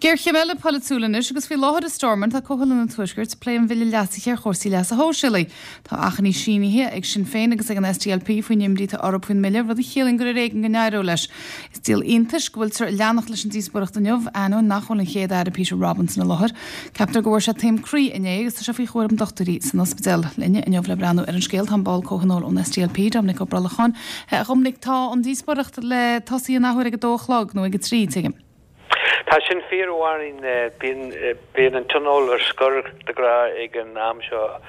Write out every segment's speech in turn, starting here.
Géarchéim eile polaitiúil anois agus faoi láthair i Stormont tá Comhthionól an Tuaiscirt ag plé an bhille leasaithe ar chúrsaí leasa shóisialaigh. Tá achainí sínithe ag Sinn Féin agus ag an SDLP faoin imní atá orthu faoin mbille, rud a chiallaíonn gur ar éigean go n-éireoidh leis. Is díol iontais go bhfuiltear ag leanacht leis an díospóireacht inniu, ainneoin nach bhfuil an Chéad-Aire Peter Robinson i láthair. Ceaptar go bhfuair sé taom croí inné agus tá sé faoi chúram dochtúirí san ospidéal. Linne inniu le breathnú ar an scéal tá an ball comhthionóil ón SDLP, Dominic Ó Brollacháin. A Dhoiminic, tá an díospóireacht le tosaí an athuair ag a dó a chlog, nó ag a trí, tuigim. Tá sin fíor, a Mháirín. Bíonn, bíonn an Tionól ar scor de ghnáth ag an am seo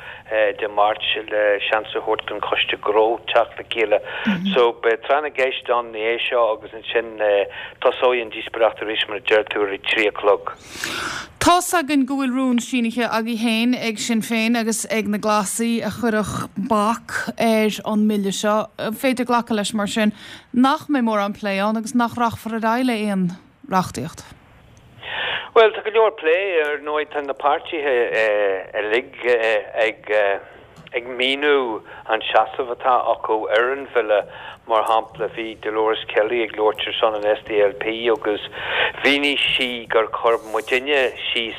Dé Máirt le seans a thabhairt don Choiste Gnó teacht le chéile. So beidh tráth na gceist ann ina dhiaidh seo agus ansin tosóidh an díospóireacht arís mar a deir tú ar a 3 a chlog. Tá's againn go bhfuil rún sínithe agaibh féin ag Sinn Féin agus ag na Glasaigh a chuirfeadh bac ar an mbille seo. An féidir glacadh leis mar sin nach mbeidh mórán plé ann agus nach rachfar ar aghaidh le aon reachtaíocht? Bhuel, tá go leor plé, ar ndóigh, tá na páirtithe uilig ag ag míniú an seasamh atá acu ar an bhille. Mar shampla, bhí Dolores Kelly ag labhairt ar son an SDLP agus mhínigh sí gur chuir muidinne síos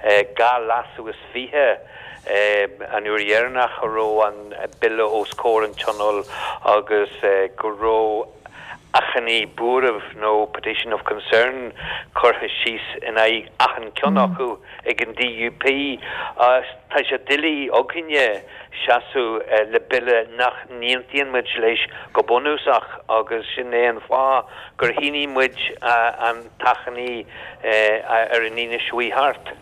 2 leasú is 20 an uair dheireanach a raibh an bille os comhair an Tionóil agus go raibh achainí buairimh nó petition of concern curtha síos in aghaidh achan ceann acu ag an DUP. Tá sé doiligh againne seasamh le bille nach n-aontaíonn muid leis go bunúsach agus sin é an fáth gur shínigh muid an t-achainí ar an Aoine seo chuaigh thart.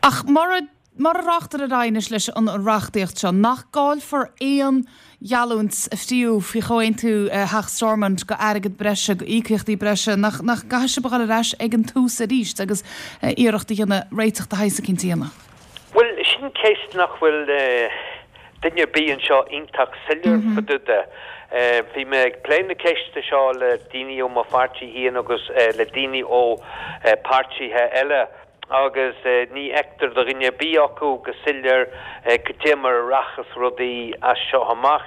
Ach mura mura rachtar ar aghaidh anois leis an reachtaíocht seo, nach gcaillfear aon gheallúint a fríodh faoi chomhaontú Theach Stormont go airgead breise, go íocaíochtaí breise, nach nach gcaithfidh sibh a dhul ar ais ag an tús arís agus iarracht a dhéanamh réiteach de shaghas eicínt a dhéanamh? Bhuel, sin ceist nach bhfuil duine ar bith anseo iontach soiléir fá dtaobh de. Bhí mé ag plé na ceiste seo le daoine ó mo pháirtí féin agus le daoine ó páirtithe eile agus ní fheictear do dhuine ar bith acu go soiléir cad é mar a rachas rudaí as seo amach.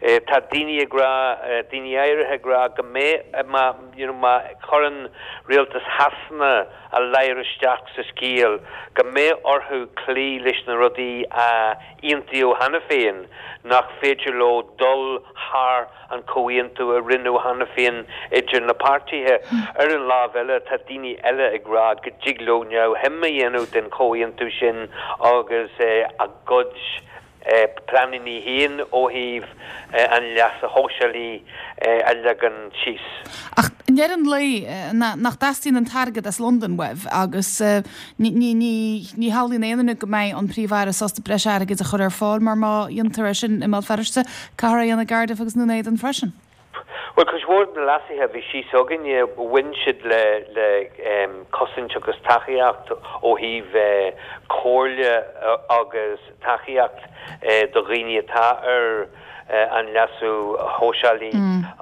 Tá daoine ag rá, daoine áirithe ag rá go mbeidh, má, you know, má chuireann rialtas Shasana a ladhar isteach sa scéal, go mbeidh orthu cloí leis na rudaí a aontaíodh cheana féin, nach féidir leo dul thar an chomhaontú a rinneadh cheana féin idir na páirtithe. Ar an lámh eile, tá daoine eile ag rá go dtig leo neamhshuim a dhéanamh den chomhaontú sin agus a gcuid pleananna féin ó thaobh an leasa shóisialaigh a leagan síos. Ach i ndeireadh an lae, nach dteastaíonn an t-airgead as Londain uaibh agus ní shamhlaíonn aon duine go mbeidh an Príomh-Aire sásta breis airgid a chur ar fáil mar má dhéantar é sin i mBéal Feirste, caithfear é a dhéanamh i gCardiff agus i nDún Éideann freisin. Bhuel, cuid mhór de na leasuithe a bhí síos againne, bhain siad le le cosaint agus tacaíocht ó thaobh comhairle agus tacaíocht do dhaoine atá ar an leasú shóisialaigh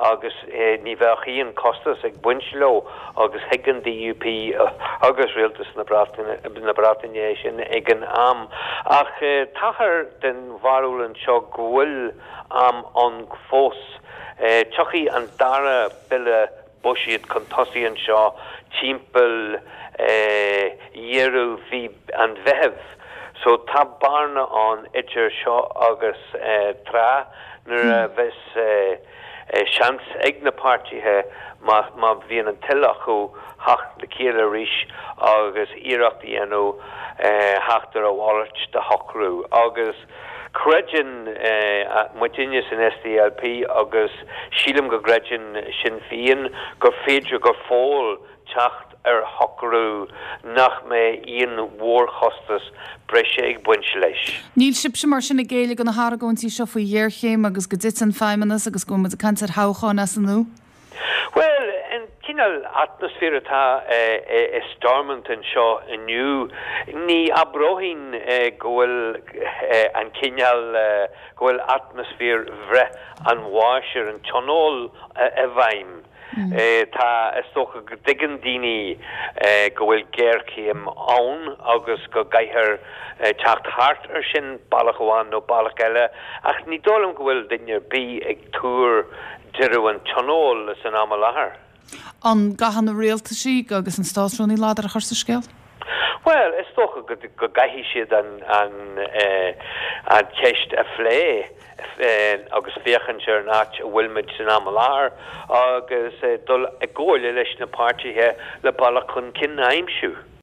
agus ní bheadh aon costas ag baint leo agus thuig an DUP agus Rialtas na Breataine é sin ag an am. Ach táthar den bharúil anseo go bhfuil am ann fós. Tiocfaidh an dara bille buiséid chun tosaigh anseo timpeall dheireadh mhí an Mheithimh so tá bearna ann idir seo agus tráth nuair a bheas seans ag na páirtithe má bhíonn an toil acu theacht le chéile arís agus iarracht a dhéanamh theacht ar a mhalairt de shocrú agus Creideann muidinne san SDLP agus sílim go gcreideann Sinn Féin gur féidir go fóill teacht ar shocrú nach mbeidh aon mhórchostas breise ag baint leis. Níl sibhse mar sin ag géilleadh do na hargóintí seo faoi ghéarchéim agus go dtitfidh an Feidhmeannas agus go bhfuil muid ag caint ar thoghcháin as an nua? Bhuel, an cineál atmaisféir atá i Stormont anseo inniu, ní abróinn go bhfuil an cineál, go bhfuil atmaisféar bhreith an bháis ar an Tionól i bhfeidhm. Tá, is dócha go dtuigeann daoine go bhfuil géarchéim ann agus go gcaithfear teacht thart ar sin bealach amháin nó bealach eile, ach ní dóigh liom go bhfuil duine ar bith ag tuar deireadh an Tionóil san am i láthair. An gcaithfidh na rialtaisí agus an Státrúnaí ladar a chur sa scéal? Bhuel, is dócha go gcaithfidh siad an cheist a phlé agus féachaint ar an áit a bhfuil muid san am i láthair agus dul i gcomhairle leis na páirtithe le bealach chun cinn a aimsiú.